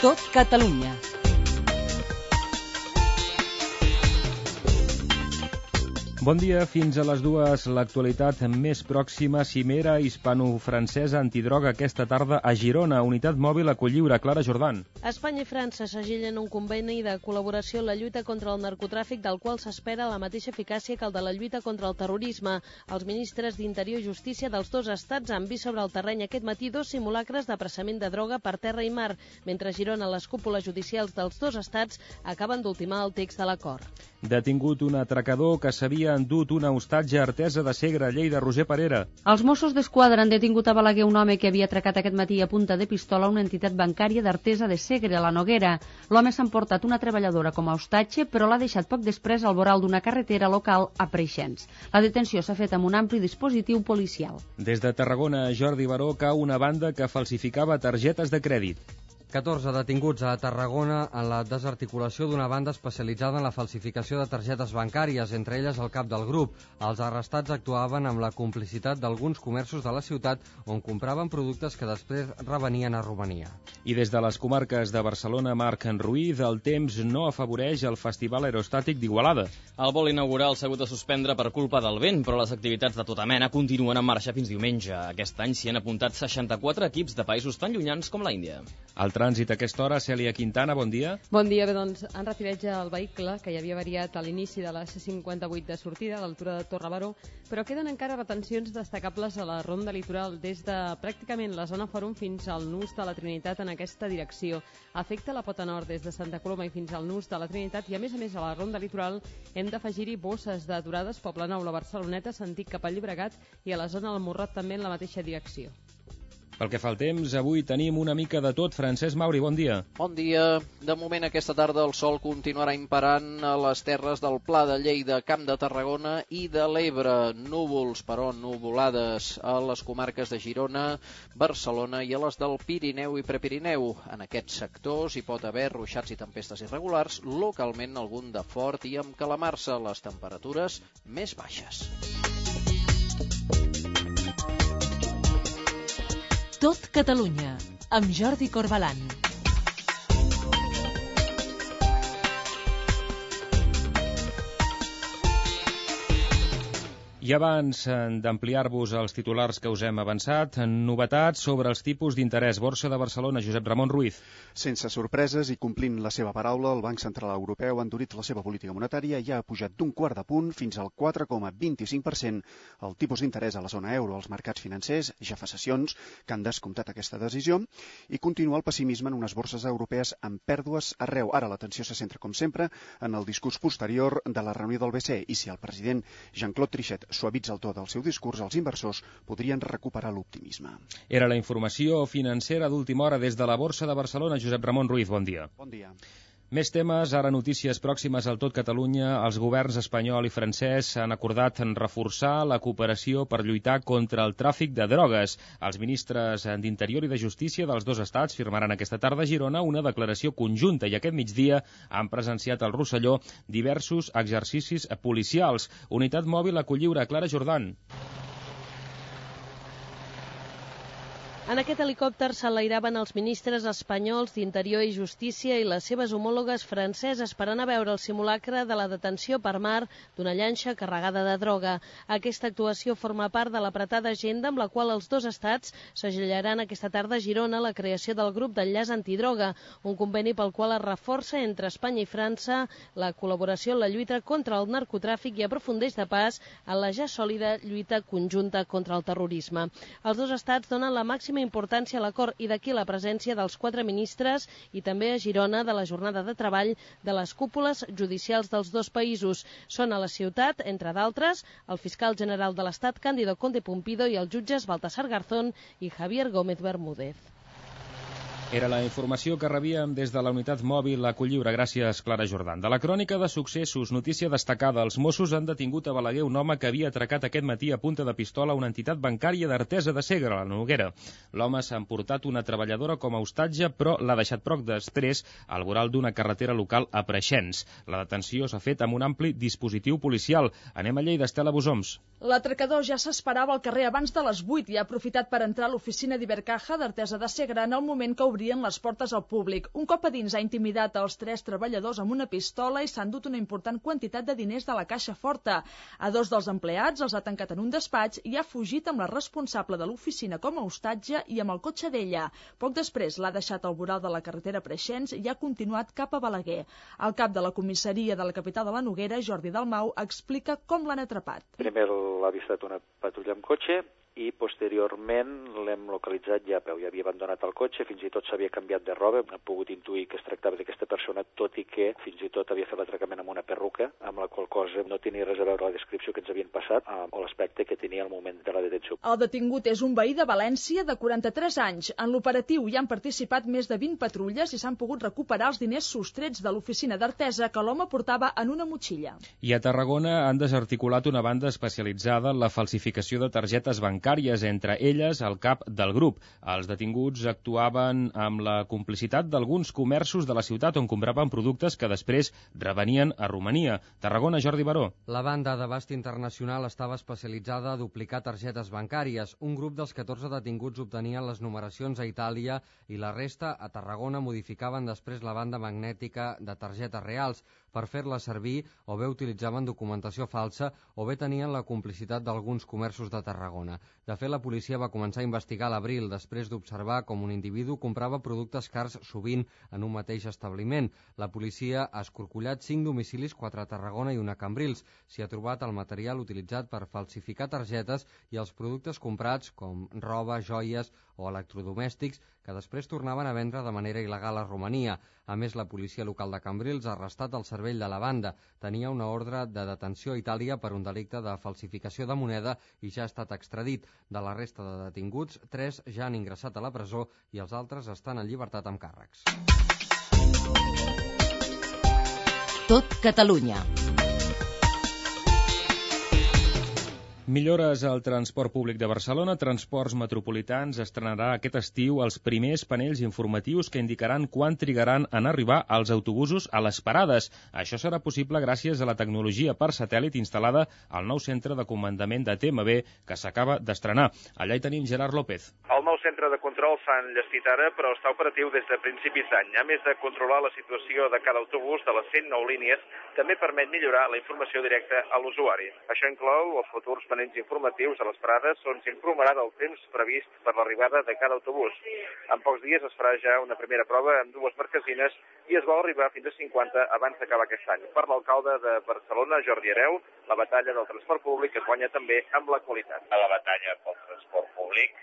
Tot Catalunya. Bon dia, fins a les 2, l'actualitat més pròxima, cimera hispano-francesa antidroga aquesta tarda a Girona, unitat mòbil a Colliure. Clara Jordan. Espanya i França segillen un conveni de col·laboració en la lluita contra el narcotràfic, del qual s'espera la mateixa eficàcia que el de la lluita contra el terrorisme. Els ministres d'Interior i Justícia dels dos estats han vist sobre el terreny aquest matí 2 simulacres d'apressament de droga per terra i mar, mentre a Girona les cúpules judicials dels dos estats acaben d'ultimar el text de l'acord. Detingut un atracador que s'havia endut una hostatge a Artesa de Segre, Lleida. Roger Parera. Els Mossos d'Esquadra han detingut a Balaguer un home que havia atracat aquest matí a punta de pistola una entitat bancària d'Artesa de Segre, a la Noguera. L'home s'ha emportat una treballadora com a hostatge, però l'ha deixat poc després al voral d'una carretera local a Preixens. La detenció s'ha fet amb un ampli dispositiu policial. Des de Tarragona, Jordi Baró, cau una banda que falsificava targetes de crèdit. 14 detinguts a Tarragona en la desarticulació d'una banda especialitzada en la falsificació de targetes bancàries, entre elles el cap del grup. Els arrestats actuaven amb la complicitat d'alguns comerços de la ciutat on compraven productes que després revenien a Romania. I des de les comarques de Barcelona, Marc Ruiz, el temps no afavoreix el Festival Aerostàtic d'Igualada. El vol inaugural s'ha hagut de suspendre per culpa del vent, però les activitats de tota mena continuen en marxa fins diumenge. Aquest any s'hi han apuntat 64 equips de països tan llunyans com l'Índia. El trànsit a aquesta hora, Cèlia Quintana, bon dia. Bon dia, bé, doncs en retiratge el vehicle, que ja havia variat a l'inici de la C58 de sortida a l'altura de Torre Baró, però queden encara retencions destacables a la ronda litoral des de pràcticament la zona Fòrum fins al nus de la Trinitat en aquesta direcció. Afecta la pota nord des de Santa Coloma i fins al nus de la Trinitat i a més a la ronda litoral hem d'afegir-hi bosses d'aturades Poblenou, la Barceloneta, sentit cap al Llobregat i a la zona del Morrot també en la mateixa direcció. Pel que fa al temps, avui tenim una mica de tot. Francesc Mauri, bon dia. Bon dia. De moment, aquesta tarda el sol continuarà imperant a les terres del Pla de Lleida, Camp de Tarragona i de l'Ebre. Núvols, però nuvolades a les comarques de Girona, Barcelona i a les del Pirineu i Prepirineu. En aquests sectors hi pot haver ruixats i tempestes irregulars, localment algun de fort i amb calamarsa, les temperatures més baixes. Tot Catalunya, amb Jordi Corbalan. I abans d'ampliar-vos els titulars que us hem avançat, novetats sobre els tipus d'interès. Borsa de Barcelona, Josep Ramon Ruiz. Sense sorpreses i complint la seva paraula, el Banc Central Europeu ha endurit la seva política monetària i ha pujat d'un quart de punt fins al 4,25% el tipus d'interès a la zona euro. Els mercats financers ja fa sessions que han descomptat aquesta decisió i continua el pessimisme en unes borses europees amb pèrdues arreu. Ara l'atenció se centra, com sempre, en el discurs posterior de la reunió del BCE i si el president Jean-Claude Trichet suavitza el to del seu discurs, els inversors podrien recuperar l'optimisme. Era la informació financera d'última hora des de la Borsa de Barcelona. Josep Ramon Ruiz, bon dia. Bon dia. Més temes, ara notícies pròximes al Tot Catalunya. Els governs espanyol i francès han acordat en reforçar la cooperació per lluitar contra el tràfic de drogues. Els ministres d'Interior i de Justícia dels dos estats firmaran aquesta tarda a Girona una declaració conjunta i aquest migdia han presenciat al Rosselló diversos exercicis policials. Unitat mòbil a Colliure, Clara Jordan. En aquest helicòpter s'enlairaven els ministres espanyols d'Interior i Justícia i les seves homòlogues franceses per anar a veure el simulacre de la detenció per mar d'una llanxa carregada de droga. Aquesta actuació forma part de l'apretada agenda amb la qual els dos estats segellaran aquesta tarda a Girona la creació del grup d'enllaç antidroga, un conveni pel qual es reforça entre Espanya i França la col·laboració en la lluita contra el narcotràfic i aprofundeix de pas en la ja sòlida lluita conjunta contra el terrorisme. Els dos estats donen la màxima importància a l'acord i d'aquí la presència dels 4 ministres i també a Girona de la jornada de treball de les cúpules judicials dels dos països. Són a la ciutat, entre d'altres, el fiscal general de l'Estat, Cándido Conde Pumpido, i els jutges Baltasar Garzón i Javier Gómez Bermúdez. Era la informació que rebíem des de la unitat mòbil a Colliure. Gràcies, Clara Jordan. De la crònica de successos, notícia destacada. Els Mossos han detingut a Balaguer un home que havia atracat aquest matí a punta de pistola una entitat bancària d'Artesa de Segre, a la Noguera. L'home s'ha emportat una treballadora com a hostatge, però l'ha deixat poc després al voral d'una carretera local a Preixens. La detenció s'ha fet amb un ampli dispositiu policial. Anem a Lleida, Estela Bosoms. L'atracador ja s'esperava al carrer abans de les 8 i ha aprofitat per entrar a l'oficina d'Ibercaja d'Artesa de Segre en el moment que obria obrien les portes al públic. Un cop a dins ha intimidat els 3 treballadors amb una pistola i s'ha endut una important quantitat de diners de la caixa forta. A 2 dels empleats els ha tancat en un despatx i ha fugit amb la responsable de l'oficina com a hostatge i amb el cotxe d'ella. Poc després l'ha deixat al voral de la carretera Preixens i ha continuat cap a Balaguer. El cap de la comissaria de la capital de la Noguera, Jordi Dalmau, explica com l'han atrapat. Primer l'ha avistat una patrulla amb cotxe i posteriorment l'hem localitzat ja a peu. Ja havia abandonat el cotxe, fins i tot s'havia canviat de roba. Hem pogut intuir que es tractava d'aquesta persona, tot i que fins i tot havia fet l'atracament amb una perruca, amb la qual cosa no tenia res a veure la descripció que ens havien passat o l'aspecte que tenia al moment de la detenció. El detingut és un veí de València de 43 anys. En l'operatiu hi han participat més de 20 patrulles i s'han pogut recuperar els diners sostrets de l'oficina d'Artesa que l'home portava en una motxilla. I a Tarragona han desarticulat una banda especialitzada en la falsificació de targetes bancàries, entre elles el cap del grup. Els detinguts actuaven amb la complicitat d'alguns comerços de la ciutat on compraven productes que després revenien a Romania. Tarragona, Jordi Baró. La banda d'abast internacional estava especialitzada a duplicar targetes bancàries. Un grup dels 14 detinguts obtenien les numeracions a Itàlia i la resta a Tarragona modificaven després la banda magnètica de targetes reals. Per fer-la servir o bé utilitzaven documentació falsa o bé tenien la complicitat d'alguns comerços de Tarragona. De fet, la policia va començar a investigar a l'abril, després d'observar com un individu comprava productes cars sovint en un mateix establiment. La policia ha escorcollat 5 domicilis, 4 a Tarragona i 1 a Cambrils. S'hi ha trobat el material utilitzat per falsificar targetes i els productes comprats, com roba, joies o electrodomèstics, que després tornaven a vendre de manera il·legal a Romania. A més, la policia local de Cambrils ha arrestat el cervell de la banda. Tenia una ordre de detenció a Itàlia per un delicte de falsificació de moneda i ja ha estat extradit. De la resta de detinguts, 3 ja han ingressat a la presó i els altres estan en llibertat amb càrrecs. Tot Catalunya. Millores al transport públic de Barcelona. Transports Metropolitans estrenarà aquest estiu els primers panells informatius que indicaran quan trigaran en arribar els autobusos a les parades. Això serà possible gràcies a la tecnologia per satèl·lit instal·lada al nou centre de comandament de TMB que s'acaba d'estrenar. Allà hi tenim Gerard López. El nou centre de control s'ha enllestit ara, però està operatiu des de principis d'any. A més de controlar la situació de cada autobús de les 109 línies, també permet millorar la informació directa a l'usuari. Això inclou els futurs panells informatius a les parades on s'informarà del temps previst per l'arribada de cada autobús. En pocs dies es farà ja una primera prova amb 2 marquesines i es vol arribar fins a 50 abans d'acabar aquest any. Per l'alcalde de Barcelona, Jordi Hereu, la batalla del transport públic es guanya també amb la qualitat. A la batalla pel transport públic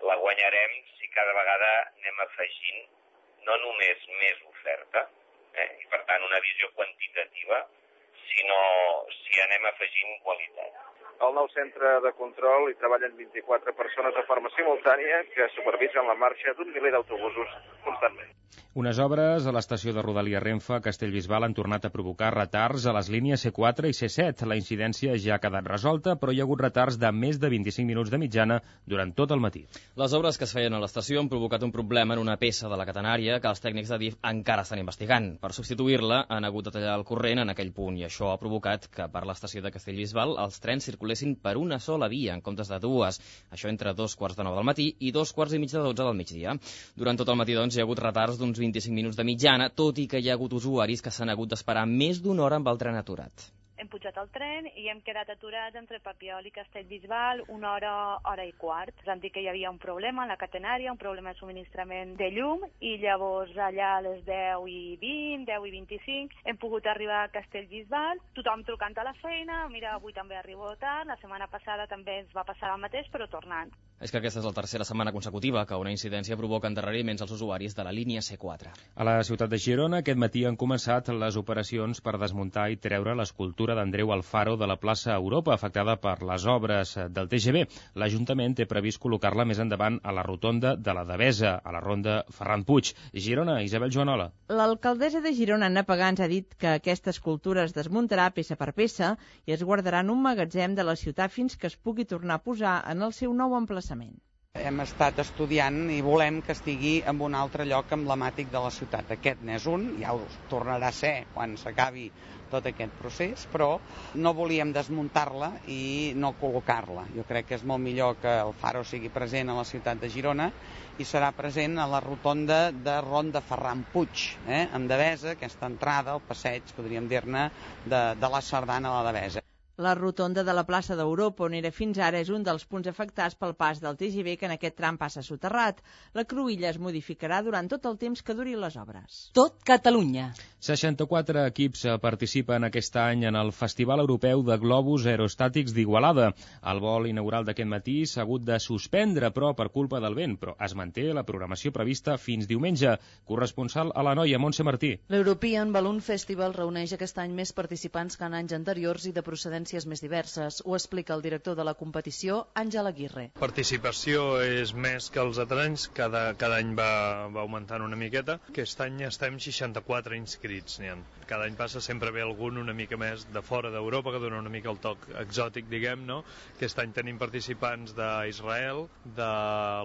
la guanyarem si cada vegada anem afegint no només més oferta, i per tant una visió quantitativa, sinó si anem afegint qualitat. Al nou centre de control hi treballen 24 persones de forma simultània que supervisen la marxa d'un miler d'autobusos constantment. Unes obres a l'estació de Rodalia Renfe a Castellbisbal han tornat a provocar retards a les línies C4 i C7. La incidència ja ha quedat resolta, però hi ha hagut retards de més de 25 minuts de mitjana durant tot el matí. Les obres que es feien a l'estació han provocat un problema en una peça de la catenària que els tècnics de DIF encara estan investigant. Per substituir-la han hagut de tallar el corrent en aquell punt i això ha provocat que per l'estació de Castellbisbal els trens circulessin per una sola via en comptes de 2. Això entre 2:45 del matí i 2:45 del migdia. Durant tot el matí, doncs, hi ha hagut retards d'uns 25 minuts de mitjana, tot i que hi ha hagut usuaris que s'han hagut d'esperar més d'una hora amb el tren aturat. Hem pujat al tren i hem quedat aturats entre Papiol i Castellbisbal 1 hora, hora i quart. Ens han dit que hi havia un problema a la catenària, un problema de subministrament de llum, i llavors allà a les 10:20, 10:25, hem pogut arribar a Castellbisbal, tothom trucant a la feina, mira, avui també arribo tard, la setmana passada també ens va passar el mateix, però tornant. És que aquesta és la tercera setmana consecutiva que una incidència provoca endarreriments als usuaris de la línia C4. A la ciutat de Girona aquest matí han començat les operacions per desmuntar i treure l'escultura d'Andreu Alfaro de la plaça Europa, afectada per les obres del TGV. L'Ajuntament té previst col·locar-la més endavant a la rotonda de la Devesa, a la ronda Ferran Puig. Girona, Isabel Joanola. L'alcaldessa de Girona, Anna Pagans, ha dit que aquesta escultura es desmuntarà peça per peça i es guardarà en un magatzem de la ciutat fins que es pugui tornar a posar en el seu nou emplaçament. Hem estat estudiant i volem que estigui en un altre lloc emblemàtic de la ciutat. Aquest n'és un, ja ho tornarà a ser quan s'acabi tot aquest procés, però no volíem desmuntar-la i no col·locar-la. Jo crec que és molt millor que el Faro sigui present a la ciutat de Girona i serà present a la rotonda de Ronda Ferran Puig, amb Devesa, aquesta entrada, el passeig, podríem dir-ne, de la Sardana a la Devesa. La rotonda de la plaça d'Europa, on era fins ara, és un dels punts afectats pel pas del TGV, que en aquest tram passa soterrat. La cruïlla es modificarà durant tot el temps que duri les obres. Tot Catalunya. 64 equips participen aquest any en el Festival Europeu de Globus Aerostàtics d'Igualada. El vol inaugural d'aquest matí s'ha hagut de suspendre, però per culpa del vent, però es manté la programació prevista fins diumenge. Corresponsal a l'Anoia, Montse Martí. L'European Balloon Festival reuneix aquest any més participants que en anys anteriors i de procedència més diverses. Ho explica el director de la competició, Àngel Aguirre. Participació és més que els altres anys, cada any va augmentant una miqueta. Aquest any estem 64 inscrits. Cada any passa sempre ve algun una mica més de fora d'Europa, que dona una mica el toc exòtic, diguem, no? Aquest any tenim participants d'Israel, de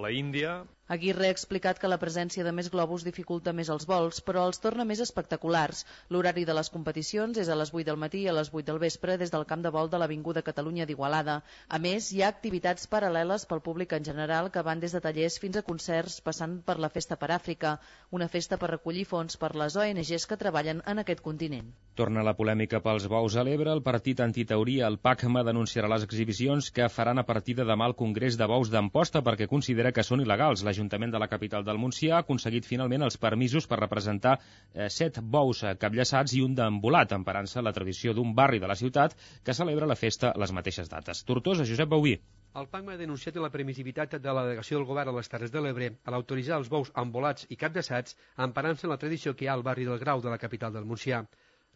la Índia. Aguirre ha explicat que la presència de més globus dificulta més els vols, però els torna més espectaculars. L'horari de les competicions és a les 8 del matí i a les 8 del vespre des del camp de vol de l'Avinguda Catalunya d'Igualada. A més, hi ha activitats paral·leles pel públic en general que van des de tallers fins a concerts, passant per la Festa per Àfrica, una festa per recollir fons per les ONGs que treballen en aquest continent. Torna la polèmica pels bous a l'Ebre. El partit antiteoria, el PACMA, denunciarà les exhibicions que faran a partir de demà al Congrés de Bous d'Amposta perquè considera que són il·legals. L'Ajuntament de la capital del Montsià ha aconseguit finalment els permisos per representar 7 bous capllaçats i un d'embolat, emparant-se la tradició d'un barri de la ciutat que celebra la festa a les mateixes dates. Tortosa, Josep Bauví. El PACMA ha denunciat la permissivitat de la delegació del govern a les Terres de l'Ebre a l'autoritzar els bous embolats i capllaçats emparant-se en la tradició que hi ha al barri del Grau de la capital del Montsià.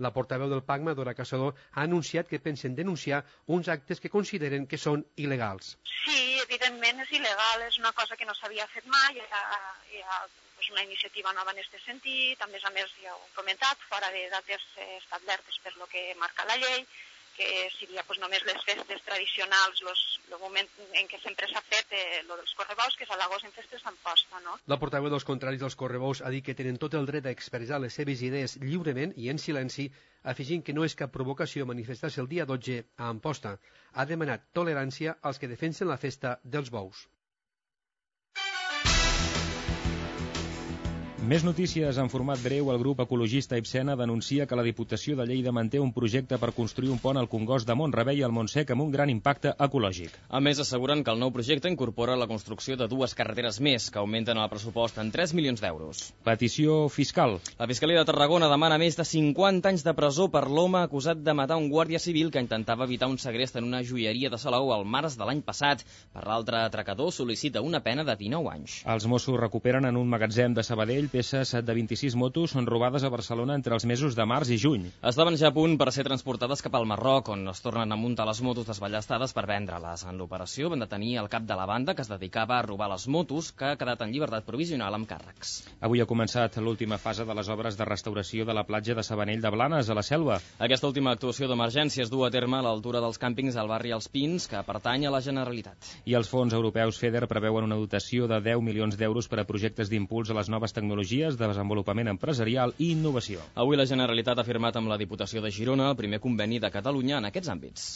La portaveu del PACMA, Dora Caçador, ha anunciat que pensen denunciar uns actes que consideren que són il·legals. Sí, evidentment és il·legal, és una cosa que no s'havia fet mai, hi ha una iniciativa nova en aquest sentit, a més ja ho he comentat, fora de dates establertes per lo que marca la llei, que seria només les festes tradicionals, el moment en què sempre s'ha fet lo dels correbous, que és a l'agost en festes d'Amposta, no? La portaveu dels contraris dels correbous ha dit que tenen tot el dret a expressar les seves idees lliurement i en silenci, afegint que no és cap provocació manifestar-se el dia 12 a Amposta. Ha demanat tolerància als que defensen la festa dels bous. Més notícies en format breu. El grup ecologista Ibsena denuncia que la Diputació de Lleida manté un projecte per construir un pont al Congost de Mont-rebei i al Montsec amb un gran impacte ecològic. A més, asseguren que el nou projecte incorpora la construcció de 2 carreteres més, que augmenten el pressupost en 3 milions d'euros. Petició fiscal. La Fiscalia de Tarragona demana més de 50 anys de presó per l'home acusat de matar un guàrdia civil que intentava evitar un segrest en una joieria de Salou al març de l'any passat. Per l'altre, atracador sol·licita una pena de 19 anys. Els Mossos recuperen en un magatzem de Sabadell peces de 26 motos són robades a Barcelona entre els mesos de març i juny. Estaven ja a punt per ser transportades cap al Marroc, on es tornen a muntar les motos desballestades per vendre-les. En l'operació van detenir el cap de la banda que es dedicava a robar les motos, que ha quedat en llibertat provisional amb càrrecs. Avui ha començat l'última fase de les obres de restauració de la platja de Sabanell de Blanes, a la Selva. Aquesta última actuació d'emergència es du a terme a l'altura dels càmpings al barri Els Pins, que pertany a la Generalitat. I els fons europeus FEDER preveuen una dotació de 10 milions d'euros per a projectes d'impuls a les noves tecnologies, de desenvolupament empresarial i innovació. Avui la Generalitat ha firmat amb la Diputació de Girona el primer conveni de Catalunya en aquests àmbits.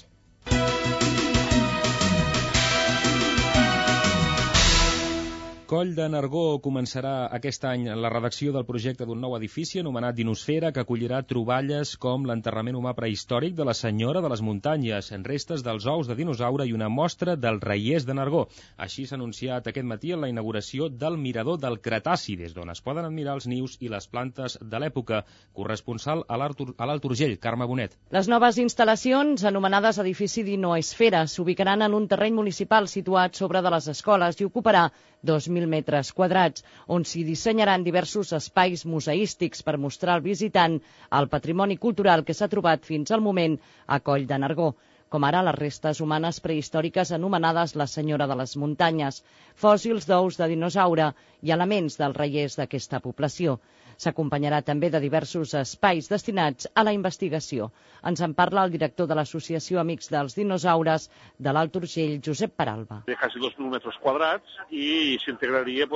Coll de Nargó començarà aquest any la redacció del projecte d'un nou edifici anomenat Dinosfera, que acollirà troballes com l'enterrament humà prehistòric de la Senyora de les Muntanyes, en restes dels ous de dinosaure i una mostra del reiers de Nargó. Així s'ha anunciat aquest matí en la inauguració del Mirador del Cretaci, des d'on es poden admirar els nius i les plantes de l'època. Corresponsal a l'Alt Urgell, Carme Bonet. Les noves instal·lacions, anomenades edifici Dinoesfera, s'ubicaran en un terreny municipal situat sobre de les escoles i ocuparà 2.000 metres quadrats, on s'hi dissenyaran diversos espais museístics per mostrar al visitant el patrimoni cultural que s'ha trobat fins al moment a Coll de Nargó. com ara les restes humanes prehistòriques anomenades la Senyora de les Muntanyes, fòssils d'ous de dinosaure i elements del reiers d'aquesta població. S'acompanyarà també de diversos espais destinats a la investigació. Ens en parla el director de l'Associació Amics dels Dinosaures de l'Alt Urgell, Josep Peralba. De quasi 2.000 metres quadrats i s'integraria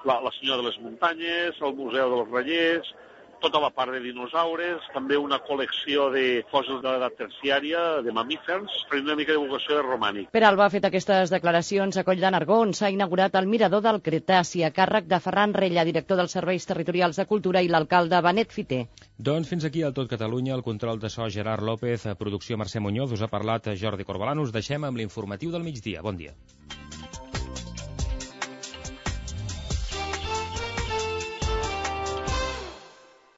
la Senyora de les Muntanyes, el Museu dels Reiers, tota la part de dinosaures, també una col·lecció de fòssils de l'edat terciària, de mamífers, per una mica de divulgació de romànic. Peralba ha fet aquestes declaracions a Coll de Nargó, on s'ha inaugurat el Mirador del Cretaci, a càrrec de Ferran Rella, director dels Serveis Territorials de Cultura, i l'alcalde Benet Fiter. Doncs fins aquí el Tot Catalunya, el control de so Gerard López, producció Mercè Muñoz, us ha parlat Jordi Corbalán. Us deixem amb l'informatiu del migdia. Bon dia.